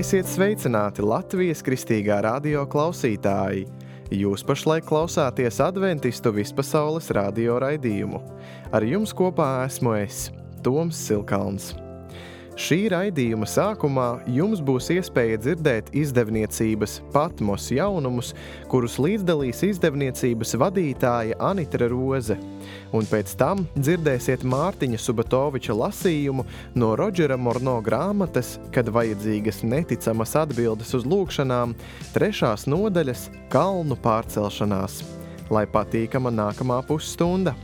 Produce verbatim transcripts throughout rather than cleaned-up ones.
Esiet sveicināti Latvijas Kristīgā radio klausītāji! Jūs pašlaik klausāties Adventistu vispasaules radio raidījumu. Ar jums kopā esmu es, Toms Silkalns. Šī raidījuma sākumā jums būs iespēja dzirdēt izdevniecības Patmos jaunumus, kurus līdzdalīs izdevniecības vadītāja Anitra Roze. Un pēc tam dzirdēsiet Mārtiņa Subatoviča lasījumu no Rodžera Morno grāmatas, kad vajadzīgas neticamas atbildes uz lūgšanām, trešās nodaļas Kalnu pārcelšanās. Lai patīkama nākamā pusstunda!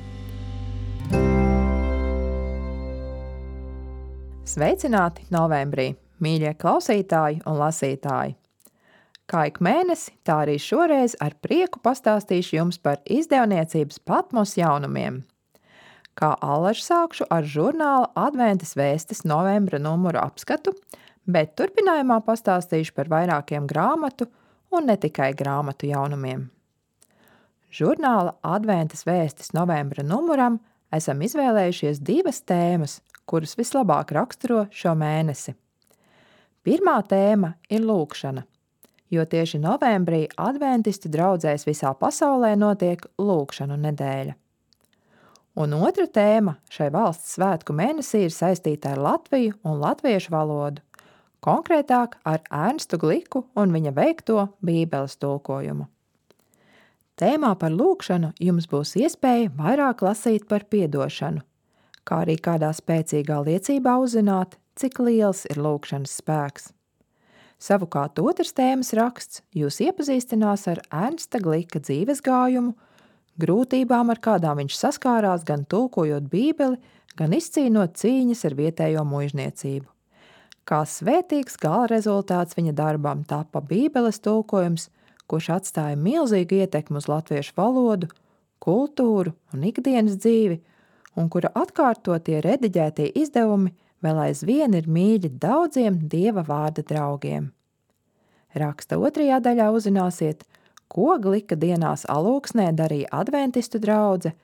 Sveicināti novembrī, mīļie klausītāji un lasītāji! Kā ik mēnesi, tā arī šoreiz ar prieku pastāstīšu jums par izdevniecības Patmos jaunumiem. Kā allaž sākšu ar žurnāla Adventas vēstis novembra numuru apskatu, bet turpinājumā pastāstīšu par vairākiem grāmatu un ne tikai grāmatu jaunumiem. Žurnāla Adventas vēstis novembra numuram esam izvēlējušies divas tēmas, kuras vislabāk raksturo šo mēnesi. Pirmā tēma ir lūgšana, jo tieši novembrī adventistu draudzēs visā pasaulē notiek lūgšanu nedēļa. Un otra tēma šai valsts svētku mēnesī ir saistīta ar Latviju un latviešu valodu, konkrētāk ar Ernstu Gliku un viņa veikto Bībeles tulkojumu. Tēmā par lūgšanu jums būs iespēja vairāk lasīt par piedošanu, kā arī kādā spēcīgā liecībā uzzināt, cik liels ir lūgšanas spēks. Savukārt otrs tēmas raksts jūs iepazīstinās ar Ernsta Glika dzīves gājumu, grūtībām, ar kādām viņš saskārās gan tulkojot Bībeli, gan izcīnot cīņas ar vietējo muižniecību. Kā svētīgs gala rezultāts viņa darbam tapa Bībeles tulkojums, kurš atstāja milzīgu ietekmi uz latviešu valodu, kultūru un ikdienas dzīvi, un kura atkārtotie rediģētie izdevumi vēl aizvien ir mīļi daudziem Dieva vārda draugiem. Raksta otrajā daļā uzzināsiet, ko Glika dienās Alūksnē darīja adventistu draudze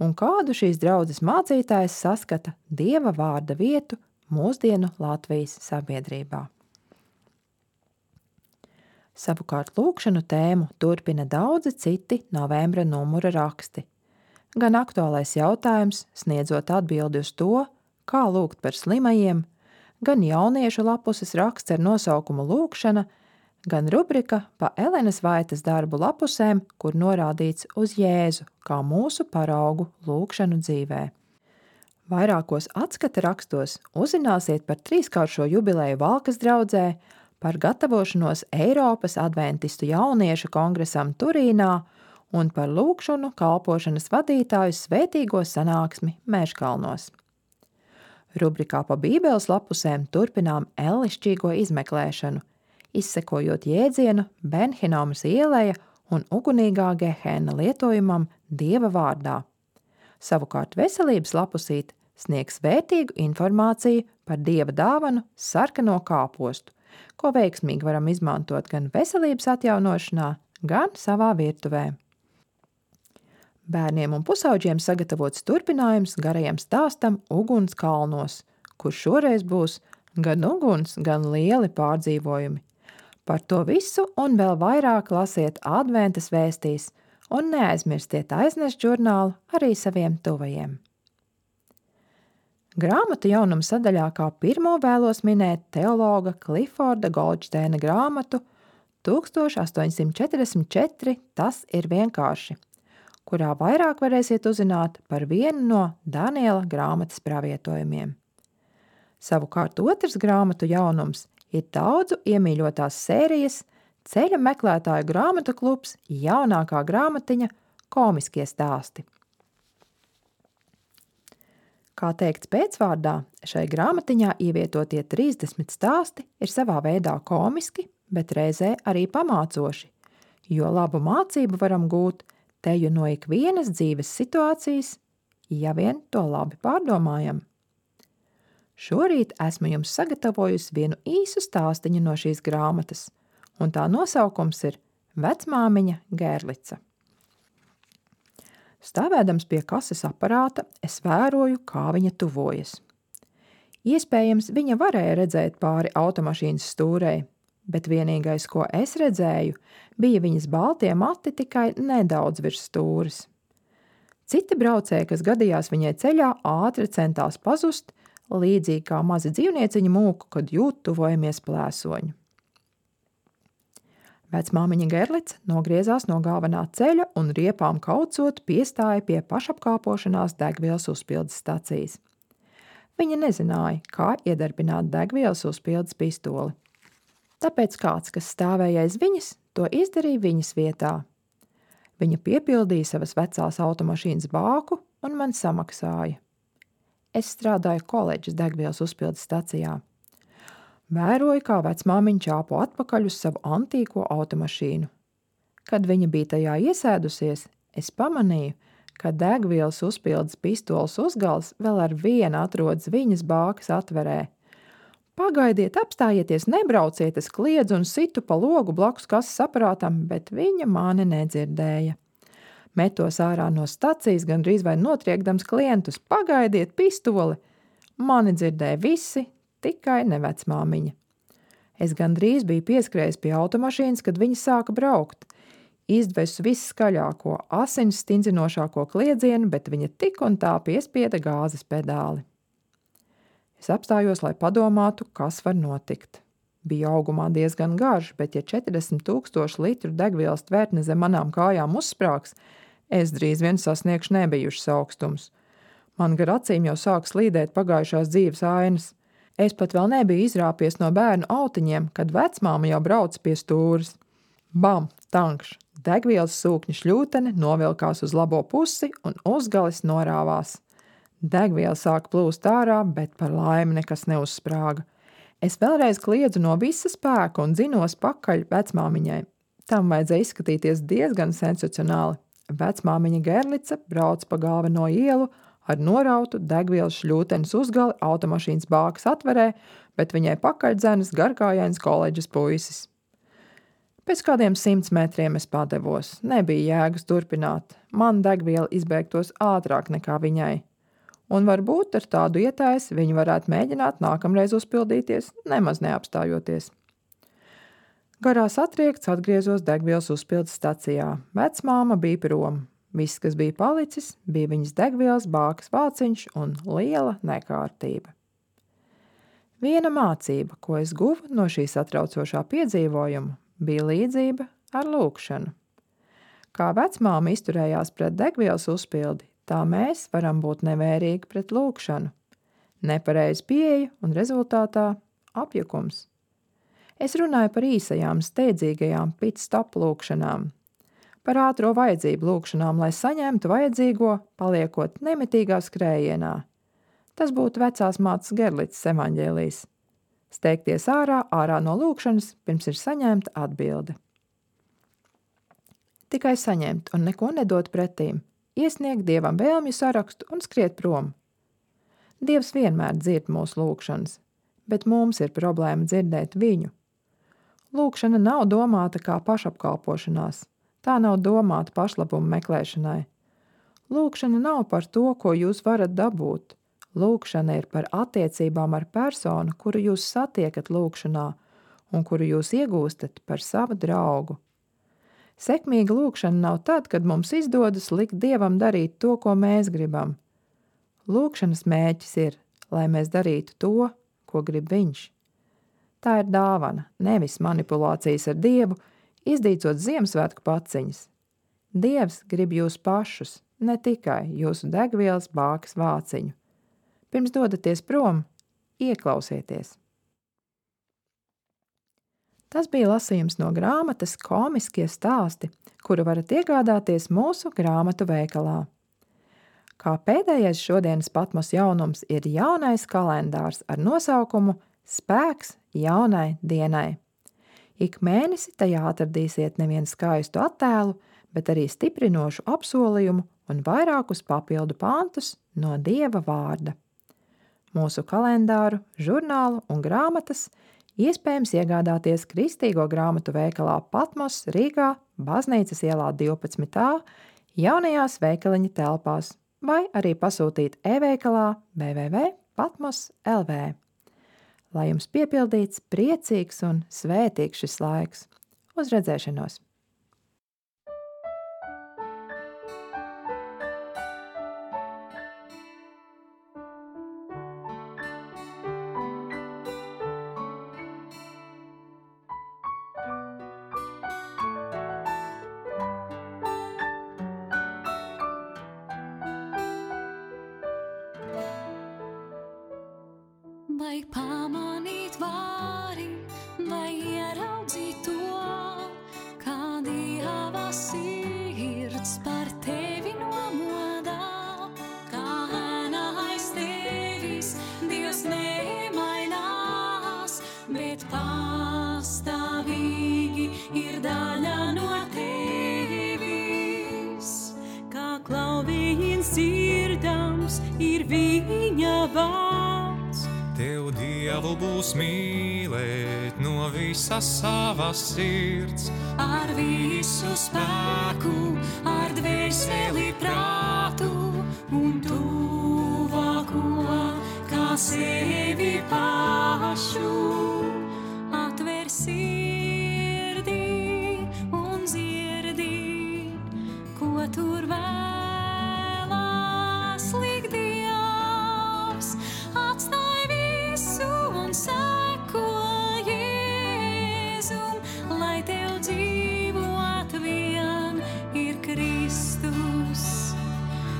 un kādu šīs draudzes mācītājs saskata Dieva vārda vietu mūsdienu Latvijas sabiedrībā. Savukārt lūgšanu tēmu turpina daudzi citi novembra numura raksti. Gan aktuālais jautājums, sniedzot atbildi uz to, kā lūgt par slimajiem, gan jauniešu lapuses raksts ar nosaukumu lūgšana, gan rubrika pa Elenas Vaitas darbu lapusēm, kur norādīts uz Jēzu kā mūsu paraugu lūgšanu dzīvē. Vairākos atskata rakstos uzzināsiet par trīskāršo jubileju Valkas draudzē, par gatavošanos Eiropas adventistu jauniešu kongresam Turīnā un par lūgšanu kalpošanas vadītāju svētīgo sanāksmi Mežkalnos. Rubrikā pa Bībeles lapusēm turpinām ellišķīgo izmeklēšanu, izsekojot jēdzienu Ben-Hinomas ieleja un ugunīgā Gehena lietojumam Dieva vārdā. Savukārt veselības lapusīt sniegs vērtīgu informāciju par Dieva dāvanu sarkano kāpostu, ko veiksmīgi varam izmantot gan veselības atjaunošanā, gan savā virtuvē. Bērniem un pusauģiem sagatavots turpinājums garajam stāstam Uguns kalnos, kur šoreiz būs gan uguns, gan lieli pārdzīvojumi. Par to visu un vēl vairāk lasiet Adventas vēstīs un neaizmirstiet aiznest žurnālu arī saviem tuvajiem. Grāmatu jaunumu sadaļā kā pirmo vēlos minēt teologa Kliforda Goldsteina grāmatu tūkstoš astoņsimt četrdesmit četri Tas ir vienkārši, kurā vairāk varēsiet uzzināt par vienu no Daniela grāmatas pravietojumiem. Savukārt otrs grāmatu jaunums ir daudzu iemīļotās sērijas Ceļa meklētāju grāmatu klubs jaunākā grāmatiņa Komiskie stāsti. Kā teikts pēcvārdā, šai grāmatiņā ievietotie trīsdesmit stāsti ir savā veidā komiski, bet reizē arī pamācoši, jo labu mācību varam gūt teju no ikvienas dzīves situācijas, ja vien to labi pārdomājam. Šorīt esmu jums sagatavojusi vienu īsu stāstiņu no šīs grāmatas, un tā nosaukums ir Vecmāmiņa Gērlica. Stāvēdams pie kases aparāta, es vēroju, kā viņa tuvojas. Iespējams, viņa varēja redzēt pāri automašīnas stūrei, bet vienīgais, ko es redzēju, bija viņas baltie mati tikai nedaudz virs stūres. Citi braucēji, kas gadījās viņai ceļā, ātri centās pazust, līdzīgi kā mazi dzīvnieciņi mūku, kad jūt tuvojamies plēsoņu. Vecmāmiņa Gerlica nogriezās no galvenā ceļa un riepām kaucot piestāja pie pašapkāpošanās degvielas uzpildes stacijas. Viņa nezināja, kā iedarbināt degvielas uzpildes pistoli. Tāpēc kāds, kas stāvēja aiz viņas, to izdarīja viņas vietā. Viņa piepildīja savas vecās automašīnas bāku un man samaksāja. Es strādāju koledžas degvielas uzpildes stacijā. Vēroju, kā vecmāmiņa čāpo atpakaļ uz savu antīko automašīnu. Kad viņa bija tajā iesēdusies, es pamanīju, ka degvielas uzpildes pistoles uzgals vēl ar vienu atrodas viņas bākas atverē. Pagaidiet, apstājieties, nebrauciet, es kliedzu un situ pa logu blakus kases aparātam, bet viņa mani nedzirdēja. Metos ārā no stacijas, gandrīz vai notriekdams klientus. Pagaidiet, pistoli! Mani dzirdēja visi, tikai ne vecmāmiņa. Es gandrīz biju pieskrējis pie automašīnas, kad viņa sāka braukt. Izdvesu visskaļāko, asins stindzinošāko kliedzienu, bet viņa tik un tā piespieda gāzes pedāli. Es apstājos, lai padomātu, kas var notikt. Bija augumā diezgan garš, bet ja četrdesmit tūkstoši litru degvielas tvertne zem manām kājām uzsprāgs, es drīz vien sasniegšu nebijušas augstums. Man gar acīm jau sāk slīdēt pagājušās dzīves ainas. Es pat vēl nebiju izrāpies no bērnu autiņiem, kad vecmāma jau brauc pie stūres. Bam, tankš, degvielas sūkņa šļūtene novilkās uz labo pusi un uzgalis norāvās. Degviela sāk plūst ārā, bet par laimi nekas neuzsprāga. Es vēlreiz kliedzu no visa spēka un dzinos pakaļ vecmāmiņai. Tam vajadzēja izskatīties diezgan sensacionāli. Vecmāmiņa Gerlica brauc pa galveno ielu ar norautu degvielas šļūtenes uzgali automašīnas bākas atverē, bet viņai pakaļ dzenas garkājains koledžas puisis. Pēc kādiem simts metriem es padevos. Nebija jēgas turpināt. Man degviela izbēgtos ātrāk nekā viņai. Un varbūt ar tādu ietēsi viņi varētu mēģināt nākamreiz uzpildīties, nemaz neapstājoties. Garās atriekts atgriezos degvielas uzpildes stacijā. Vecmāma bija prom. Viss, kas bija palicis, bija viņas degvielas bākas vāciņš un liela nekārtība. Viena mācība, ko es guvu no šī satraucošā piedzīvojuma, bija līdzība ar lūgšanu. Kā vecmāma izturējās pret degvielas uzpildi, tā mēs varam būt nevērīgi pret lūgšanu. Nepareiz pieeja un rezultātā apjukums. Es runāju par īsajām, steidzīgajām pit-stop lūgšanām. Par ātro vajadzību lūgšanām, lai saņemtu vajadzīgo, paliekot nemitīgā skrējienā. Tas būtu vecās mātes Gerlicas evaņģēlijs. Steigties ārā, ārā no lūgšanas, pirms ir saņemta atbilde. Tikai saņemt un neko nedot pretīm, iesniegt Dievam vēlmju sarakstu un skriet prom. Dievs vienmēr dzird mūsu lūgšanas, bet mums ir problēma dzirdēt viņu. Lūgšana nav domāta kā pašapkalpošanās. Tā nav domāta pašlabumu meklēšanai. Lūgšana nav par to, ko jūs varat dabūt. Lūgšana ir par attiecībām ar personu, kuru jūs satiekat lūgšanā un kuru jūs iegūstat par savu draugu. Sekmīga lūgšana nav tad, kad mums izdodas likt Dievam darīt to, ko mēs gribam. Lūgšanas mērķis ir, lai mēs darītu to, ko grib viņš. Tā ir dāvana, nevis manipulācijas ar Dievu, izdīcot Ziemassvētku paciņas. Dievs grib jūs pašus, ne tikai jūsu degvielas bākas vāciņu. Pirms dodaties prom, ieklausieties. Tas bija lasījums no grāmatas Komiskie stāsti, kuru varat iegādāties mūsu grāmatu veikalā. Kā pēdējais šodienas Patmos jaunums ir jaunais kalendārs ar nosaukumu Spēks jaunai dienai. Ik mēnesi tajā atradīsiet nevien skaistu attēlu, bet arī stiprinošu apsolījumu un vairākus papildu pantus no Dieva vārda. Mūsu kalendāru, žurnālu un grāmatas iespējams iegādāties Kristīgo grāmatu veikalā Patmos Rīgā, Baznīcas ielā divpadsmit A, jaunajās veikaliņa telpās, vai arī pasūtīt e-veikalā w w w punkt patmos punkt l v. Lai jums piepildīts, priecīgs un svētīgs šis laiks. Uz redzēšanos! Vai pamanīt vāri, vai ieraudzīt to, kā Dieva sirds par tevi nomodā, kā ēna aiz tevis Dievs nemainās, bet pastāvīgi ir daļa no tevis, kā klauviens dzirdams ir viņa vārds. Tev Dievu būs mīlēt no visas savas sirds, ar visu spēku, ar dvēseli prātu un tuvāko, kā sevi pašu. Atver sirdī un dzirdi, ko tur vēlas likt Dievs. Atstāj visu un seko Jēzum, lai tev dzīvot vien ir Kristus.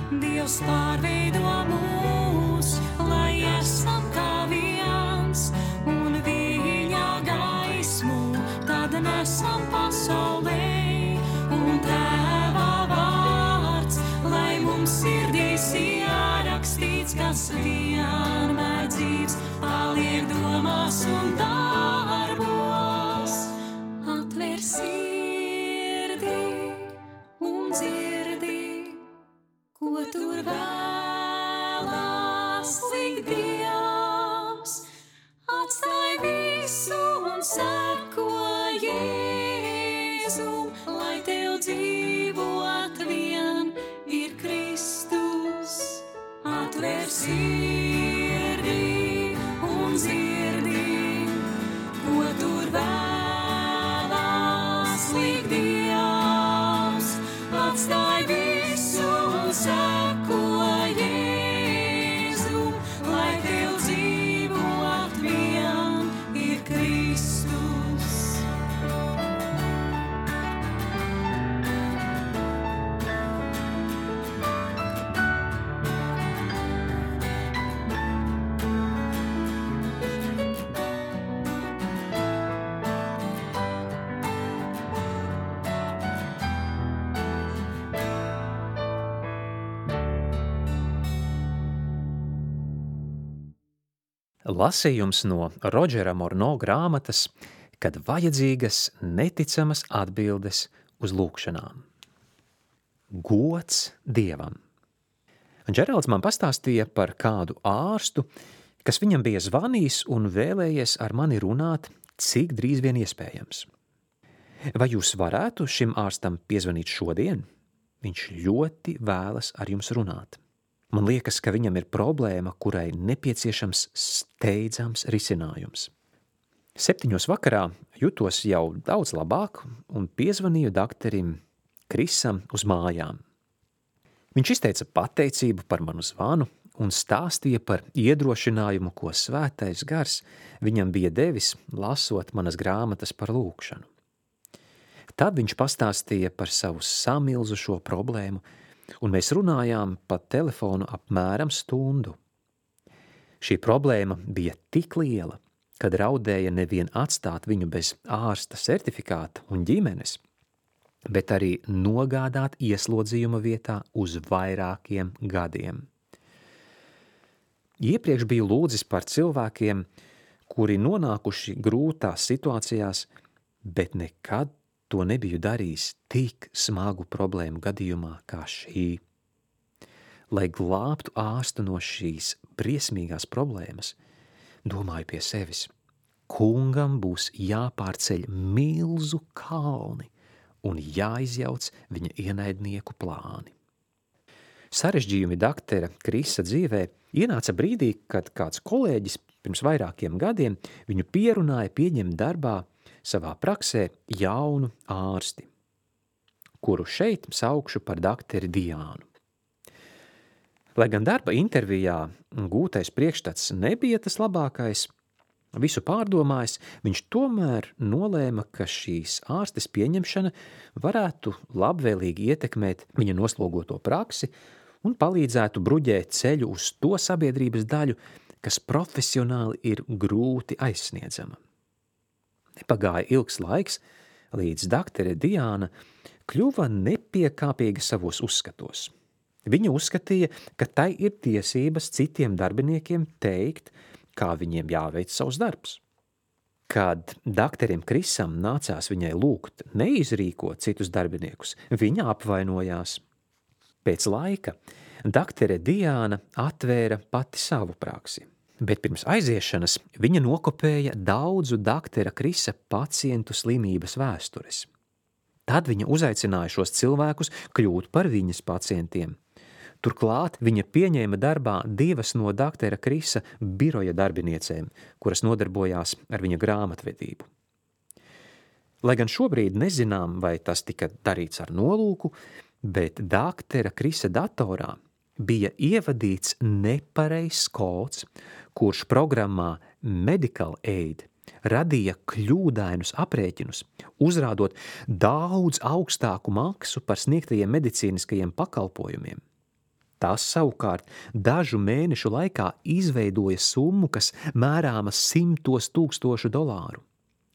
Dievs pārveido mūs, lai esam kā viens, un viņa gaismu tad nesam pasaulē, un Tēva vārds, lai mums sirdīs ierakstīts, kas vienmēr dzīvs, paliek domās un darbos. Atver sirdī un dzirdi, ko tur vēlas likt Dievs. Atstāj visu un seko Jēzum, lai tev dzīvot vien ir Kristus. Atver sirdī un dzirdi, ko tur vēlas likt Dievs. Atstāj visu un seko Jēzum, lai tev dzīvot vien ir Kristus. Lasījums no Rodžera Morno grāmatas, kad vajadzīgas neticamas atbildes uz lūkšanām. Gods Dievam. Džeralds man pastāstīja par kādu ārstu, kas viņam bija zvanījis un vēlējies ar mani runāt, cik drīz vien iespējams. Vai jūs varētu šim ārstam piezvanīt šodien? Viņš ļoti vēlas ar jums runāt. Man liekas, ka viņam ir problēma, kurai nepieciešams steidzams risinājums. Septiņos vakarā jutos jau daudz labāk un piezvanīju dakterim Krisam uz mājām. Viņš izteica pateicību par manu zvanu un stāstīja par iedrošinājumu, ko svētais gars viņam bija devis, lasot manas grāmatas par lūkšanu. Tad viņš pastāstīja par savu samilzušo problēmu, un mēs runājām pa telefonu apmēram stundu. Šī problēma bija tik liela, kad raudēja nevien atstāt viņu bez ārsta certifikāta un ģimenes, bet arī nogādāt ieslodzījuma vietā uz vairākiem gadiem. Iepriekš biju lūdzis par cilvēkiem, kuri nonākuši grūtās situācijās, bet nekad to nebiju darījis tik smagu problēmu gadījumā kā šī. Lai glābtu ārstu no šīs briesmīgās problēmas, domāju pie sevis, kungam būs jāpārceļ milzu kalni un jāizjauc viņa ienaidnieku plāni. Sarežģījumi daktera Krisa dzīvē ienāca brīdī, kad kāds kolēģis Pirms vairākiem gadiem viņu pierunāja pieņemt darbā savā praksē jaunu ārsti, kuru šeit saukšu par dakteri Diānu. Lai gan darba intervijā gūtais priekšstats nebija tas labākais, visu pārdomājis, viņš tomēr nolēma, ka šīs ārstes pieņemšana varētu labvēlīgi ietekmēt viņa noslogoto praksi un palīdzētu bruģēt ceļu uz to sabiedrības daļu, kas profesionāli ir grūti aizsniedzama. Nepagāja ilgs laiks, līdz daktere Diāna kļuva nepiekāpīga savos uzskatos. Viņa uzskatīja, ka tai ir tiesības citiem darbiniekiem teikt, kā viņiem jāveic savs darbs. Kad dakterim Krisam nācās viņai lūgt neizrīkot citus darbiniekus, viņa apvainojās. Pēc laika daktere Diāna atvēra pati savu praksi, bet pirms aiziešanas viņa nokopēja daudzu daktera Krisa pacientu slimības vēstures. Tad viņa uzaicināja šos cilvēkus kļūt par viņas pacientiem. Turklāt viņa pieņēma darbā divas no daktera Krisa biroja darbiniecēm, kuras nodarbojās ar viņa grāmatvedību. Lai gan šobrīd nezinām, vai tas tika darīts ar nolūku, bet daktera Krisa datorā bija ievadīts nepareizs kods, kurš programmā Medical Aid radīja kļūdainus aprēķinus, uzrādot daudz augstāku maksu par sniegtajiem medicīniskajiem pakalpojumiem. Tas savukārt dažu mēnešu laikā izveidoja summu, kas mērāma simtos tūkstošu dolāru.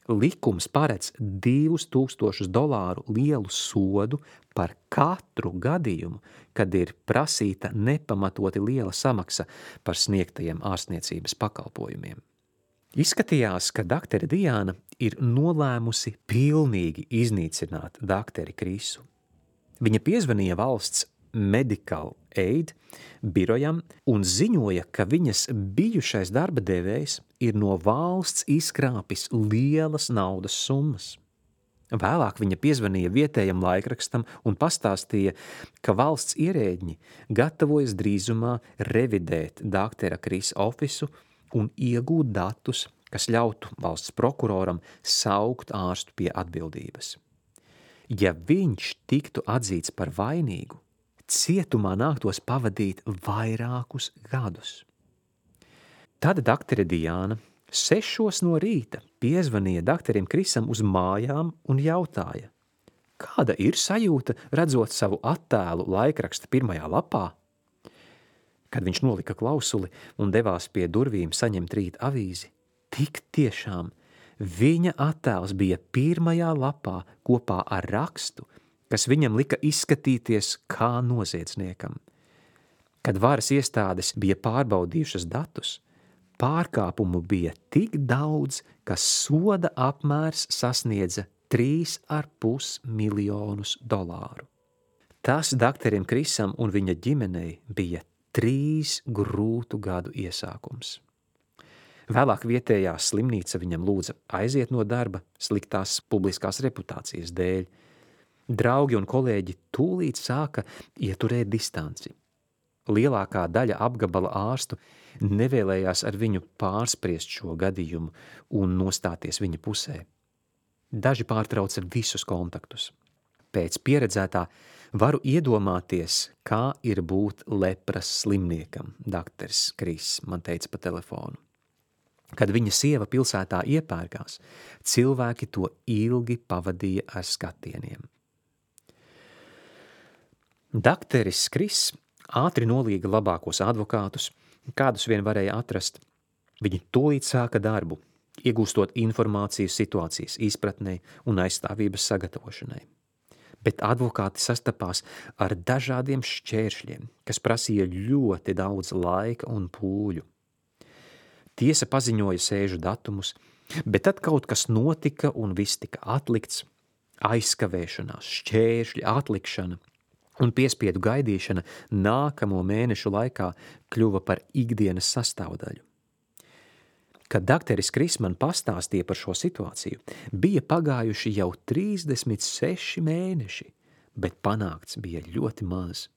Likums paredz divus tūkstošus dolāru lielu sodu par katru gadījumu, kad ir prasīta nepamatoti liela samaksa par sniegtajiem ārstniecības pakalpojumiem. Izskatījās, ka daktere Diāna ir nolēmusi pilnīgi iznīcināt dakteri Krisu. Viņa piezvanīja valsts Medical Aid birojam un ziņoja, ka viņas bijušais darba devējs ir no valsts izkrāpis lielas naudas summas. Vēlāk viņa piezvanīja vietējam laikrakstam un pastāstīja, ka valsts ierēģi gatavojas drīzumā revidēt daktera Krisa ofisu un iegūt datus, kas ļautu valsts prokuroram saukt ārstu pie atbildības. Ja viņš tiktu atzīts par vainīgu, cietumā nāktos pavadīt vairākus gadus. Tad daktere Diāna sešos no rīta piezvanīja dakterim Krisam uz mājām un jautāja, kāda ir sajūta redzot savu attēlu laikraksta pirmajā lapā? Kad viņš nolika klausuli un devās pie durvīm saņemt rīt avīzi, tik tiešām viņa attēls bija pirmajā lapā kopā ar rakstu, kas viņam lika izskatīties kā noziedzniekam. Kad varas iestādes bija pārbaudījušas datus, pārkāpumu bija tik daudz, ka soda apmērs sasniedza trīs ar pus miljonus dolāru. Tas dakterim Krisam un viņa ģimenei bija trīs grūtu gadu iesākums. Vēlāk vietējā slimnīca viņam lūdza aiziet no darba sliktās publiskās reputācijas dēļ. Draugi un kolēģi tūlīt sāka ieturēt distanci. Lielākā daļa apgabala ārstu nevēlējās ar viņu pārspriest šo gadījumu un nostāties viņa pusē. Daži pārtrauca visus kontaktus. Pēc pieredzētā varu iedomāties, kā ir būt lepras slimniekam, dakteris Kris man teica pa telefonu. Kad viņa sieva pilsētā iepērkās, cilvēki to ilgi pavadīja ar skatieniem. Dakteris Kris ātri nolīga labākos advokātus, kādus vien varēja atrast. Viņi tūlīt sāka darbu, iegūstot informāciju situācijas izpratnei un aizstāvības sagatavošanai. Bet advokāti sastapās ar dažādiem šķēršļiem, kas prasīja ļoti daudz laika un pūļu. Tiesa paziņoja sēžu datumus, bet tad kaut kas notika un viss tika atlikts, aizkavēšanās, šķēršļi, atlikšana un piespiedu gaidīšana nākamo mēnešu laikā kļuva par ikdienas sastāvdaļu. Kad dakteris Kris man pastāstīja par šo situāciju, bija pagājuši jau trīsdesmit seši mēneši, bet panākts bija ļoti maz.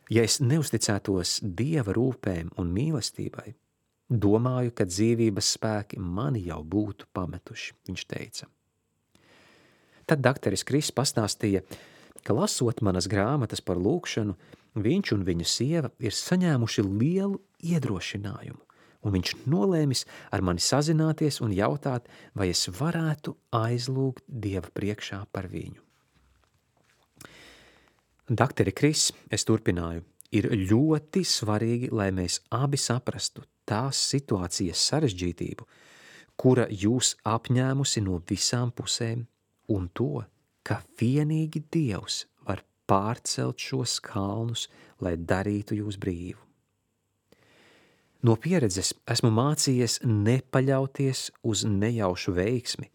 Ja es neusticētos Dieva rūpēm un mīlestībai, Domāju, ka dzīvības spēki mani jau būtu pametuši, viņš teica. Tad dakteris Kris pastāstīja, ka lasot manas grāmatas par lūkšanu, viņš un viņa sieva ir saņēmuši lielu iedrošinājumu, un viņš nolēmis ar mani sazināties un jautāt, vai es varētu aizlūgt Dieva priekšā par viņu. Dakteri Kris, es turpināju, ir ļoti svarīgi, lai mēs abi saprastu tās situācijas sarežģītību, kura jūs apņēmusi no visām pusēm, un to, ka vienīgi Dievs var pārcelt šos kalnus, lai darītu jūs brīvu. No pieredzes esmu mācījies nepaļauties uz nejaušu veiksmi,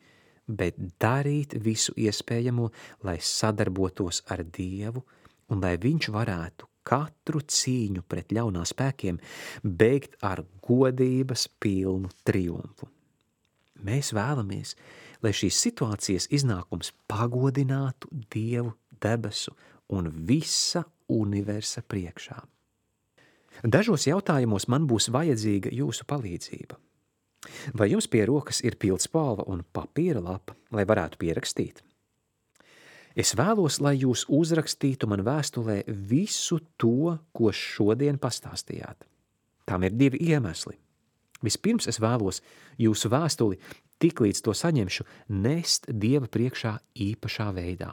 bet darīt visu iespējamo, lai sadarbotos ar Dievu un lai viņš varētu katru cīņu pret ļaunā spēkiem beigt ar godības pilnu triumfu. Mēs vēlamies, lai šīs situācijas iznākums pagodinātu Dievu debesu un visa universa priekšā. Dažos jautājumos man būs vajadzīga jūsu palīdzība. Vai jums pie rokas ir pildspalva un papīra lapa, lai varētu pierakstīt? Es vēlos, lai jūs uzrakstītu man vēstulē visu to, ko šodien pastāstījāt. Tam ir divi iemesli. Vispirms es vēlos jūsu vēstuli, tiklīdz to saņemšu, nest Dieva priekšā īpašā veidā.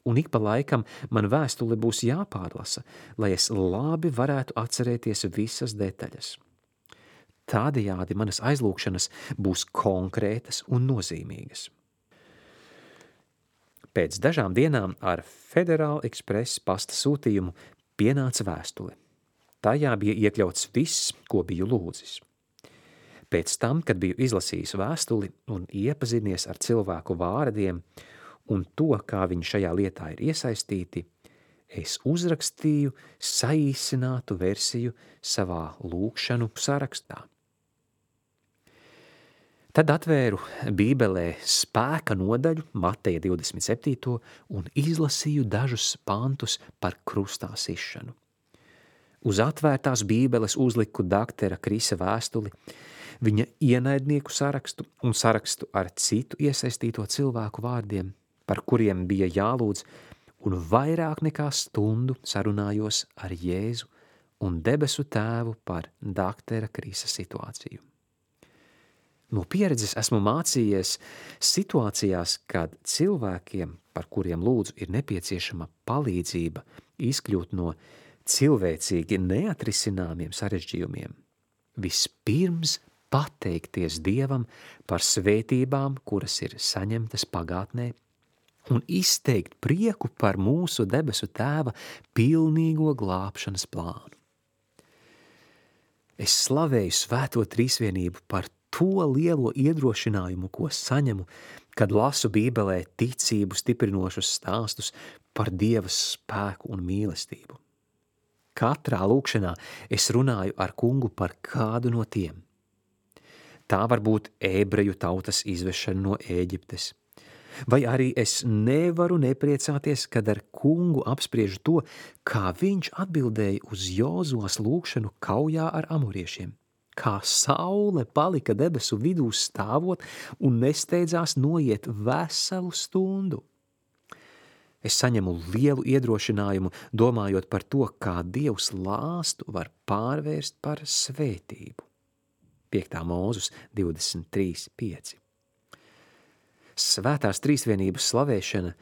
Un ik pa laikam man vēstule būs jāpārlasa, lai es labi varētu atcerēties visas detaļas. Tādējādi manas aizlūgšanas būs konkrētas un nozīmīgas. Pēc dažām dienām ar Federal Express pasta sūtījumu pienāca vēstule. Tajā bija iekļauts viss, ko biju lūdzis. Pēc tam, kad biju izlasījis vēstuli un iepazinies ar cilvēku vārdiem un to, kā viņi šajā lietā ir iesaistīti, es uzrakstīju saīsinātu versiju savā lūkšanu sarakstā. Tad atvēru Bībelē spēka nodaļu, Mateja divdesmit septīto, un izlasīju dažus pantus par krustā sišanu. Uz atvērtās Bībeles uzliku daktera Krisa vēstuli, viņa ienaidnieku sarakstu un sarakstu ar citu iesaistīto cilvēku vārdiem, par kuriem bija jālūdz, un vairāk nekā stundu sarunājos ar Jēzu un debesu tēvu par daktera Krisa situāciju. No pieredzes esmu mācījies situācijās, kad cilvēkiem, par kuriem lūdzu, ir nepieciešama palīdzība izkļūt no cilvēcīgi neatrisināmiem sarežģījumiem. Vispirms pateikties Dievam par svētībām, kuras ir saņemtas pagātnē, un izteikt prieku par mūsu debesu tēva pilnīgo glābšanas plānu. Es slavēju svēto trīsvienību par to lielo iedrošinājumu, ko saņemu, kad lasu Bībelē ticību stiprinošus stāstus par Dieva spēku un mīlestību. Katrā lūkšanā es runāju ar kungu par kādu no tiem. Tā var būt ebreju tautas izvešana no Ēģiptes, vai arī es nevaru nepriecāties, kad ar kungu apspriežu to, kā viņš atbildēja uz Jozuas lūkšanu kaujā ar amoriešiem, kā saule palika debesu vidū stāvot un nesteidzās noiet veselu stundu. Es saņemu lielu iedrošinājumu, domājot par to, kā Dievs lāstu var pārvērst par svētību. piektā Mūzes divdesmit trīs pieci. Svētās trīsvienības slavēšana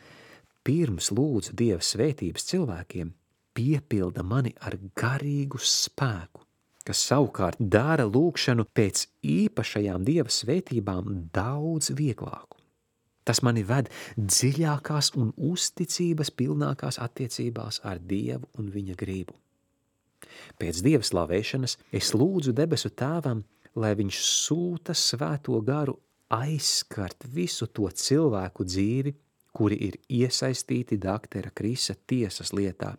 pirms lūdzu Dieva svētības cilvēkiem piepilda mani ar garīgu spēku, kas savukārt dara lūkšanu pēc īpašajām Dieva svētībām daudz vieglāku. Tas mani ved dziļākās un uzticības pilnākās attiecībās ar Dievu un viņa gribu. Pēc Dieva slavēšanas es lūdzu debesu tēvam, lai viņš sūta svēto garu aizskart visu to cilvēku dzīvi, kuri ir iesaistīti daktera Krisa tiesas lietā,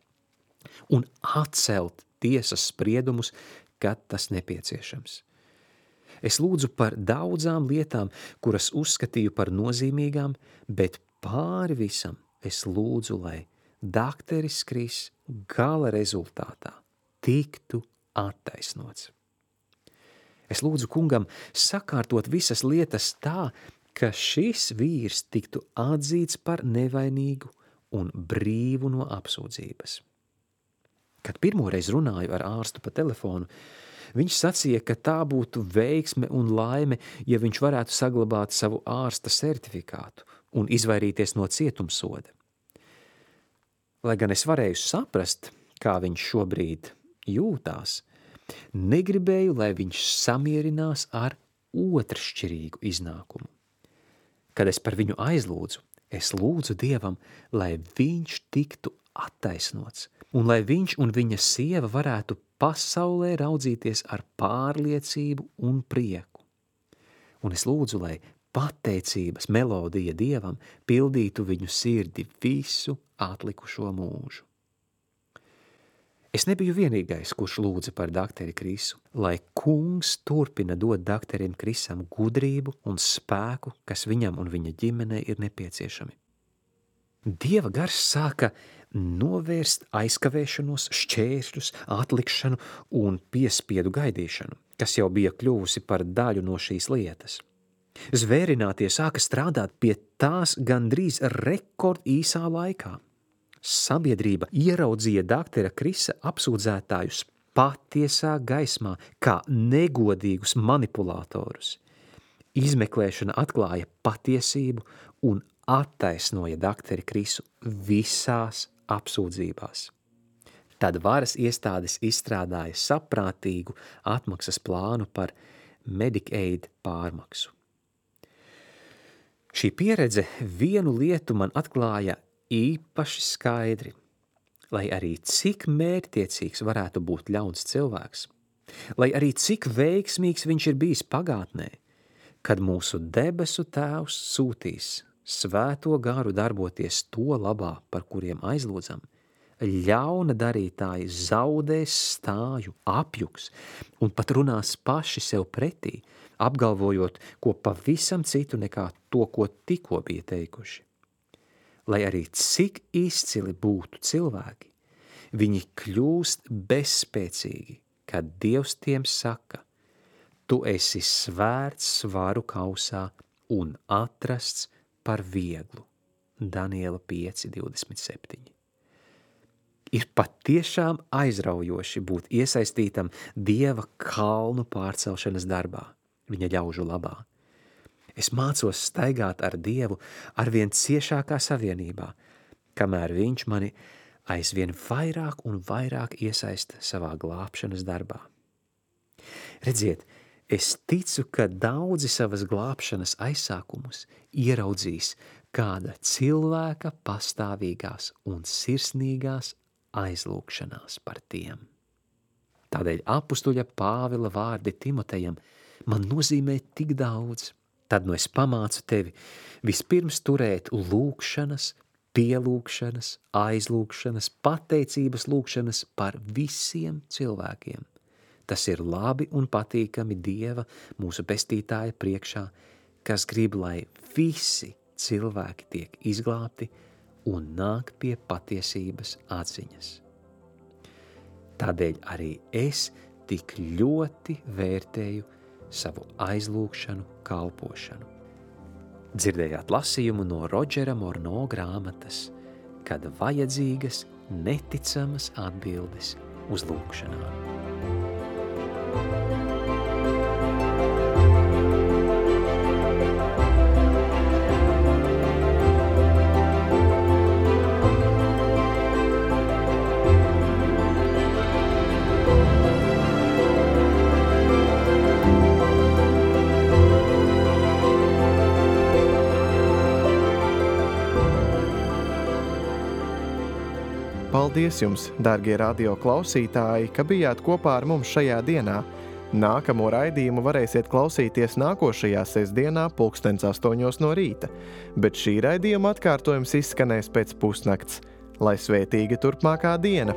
un atcelt tiesas spriedumus, kad tas nepieciešams. Es lūdzu par daudzām lietām, kuras uzskatīju par nozīmīgām, bet pāri visam es lūdzu, lai dakteris Kris gala rezultātā tiktu attaisnots. Es lūdzu kungam sakārtot visas lietas tā, ka šis vīrs tiktu atzīts par nevainīgu un brīvu no apsūdzības. Kad pirmoreiz runāju ar ārstu pa telefonu, viņš sacīja, ka tā būtu veiksme un laime, ja viņš varētu saglabāt savu ārsta certifikātu un izvairīties no cietumsoda. Lai gan es varēju saprast, kā viņš šobrīd jūtās, negribēju, lai viņš samierinās ar otršķirīgu iznākumu. Kad es par viņu aizlūdzu, es lūdzu Dievam, lai viņš tiktu attaisnots, un lai viņš un viņa sieva varētu pasaulē raudzīties ar pārliecību un prieku. Un es lūdzu, lai pateicības melodija Dievam pildītu viņu sirdi visu atlikušo mūžu. Es nebiju vienīgais, kurš lūdza par dakteri Krisu, lai kungs turpina dot dakterim Krisam gudrību un spēku, kas viņam un viņa ģimenei ir nepieciešami. Dieva gars sāka novērst aizkavēšanos, šķēršļus, atlikšanu un piespiedu gaidīšanu, kas jau bija kļuvusi par daļu no šīs lietas. Zvērinātie sāka strādāt pie tās gandrīz rekord īsā laikā. Sabiedrība ieraudzīja daktera Krisa apsūdzētājus patiesā gaismā kā negodīgus manipulatorus. Izmeklēšana atklāja patiesību un attaisnoja dakteri Krisu visās apsūdzībās. Tad varas iestādes izstrādāja saprātīgu atmaksas plānu par Medicaid pārmaksu. Šī pieredze vienu lietu man atklāja īpaši skaidri, lai arī cik mērķtiecīgs varētu būt ļauns cilvēks, lai arī cik veiksmīgs viņš ir bijis pagātnē, kad mūsu debesu Tēvs sūtīs svēto garu darboties to labā, par kuriem aizlūdzam, ļauna darītāji zaudēs stāju, apjuks un pat runās paši sev pretī, apgalvojot ko pavisam citu nekā to, ko tikko bija teikuši. Lai arī cik izcili būtu cilvēki, viņi kļūst bezspēcīgi, kad Dievs tiem saka, tu esi svērts svaru kausā un atrasts par vieglu. Daniela pieci divdesmit septiņi. Ir patiešām aizraujoši būt iesaistītam Dieva kalnu pārcelšanas darbā, viņa ļaužu labā. Es mācos staigāt ar Dievu arvien ciešākā savienībā, kamēr viņš mani aizvien vairāk un vairāk iesaista savā glābšanas darbā. Redziet, es ticu, ka daudzi savas glābšanas aizsākumus ieraudzīs kāda cilvēka pastāvīgās un sirsnīgās aizlūkšanās par tiem. Tādēļ apustuļa Pāvila vārdi Timotejam man nozīmē tik daudz. Tad nu es pamācu tevi vispirms turēt lūkšanas, pielūkšanas, aizlūkšanas, pateicības lūkšanas par visiem cilvēkiem. Tas ir labi un patīkami Dieva, mūsu pestītāja priekšā, kas grib, lai visi cilvēki tiek izglābti un nāk pie patiesības atziņas. Tādēļ arī es tik ļoti vērtēju savu aizlūkšanu kalpošanu. Dzirdējāt lasījumu no Rodžera Morno grāmatas, kad vajadzīgas neticamas atbildes uz lūkšanām. Paldies jums, dārgie radio klausītāji, ka bijāt kopā ar mums šajā dienā. Nākamo raidījumu varēsiet klausīties nākošajā sestdienā pulkstens astoņos no rīta, bet šī raidījuma atkārtojums izskanēs pēc pusnakts. Lai svētīga turpmākā diena!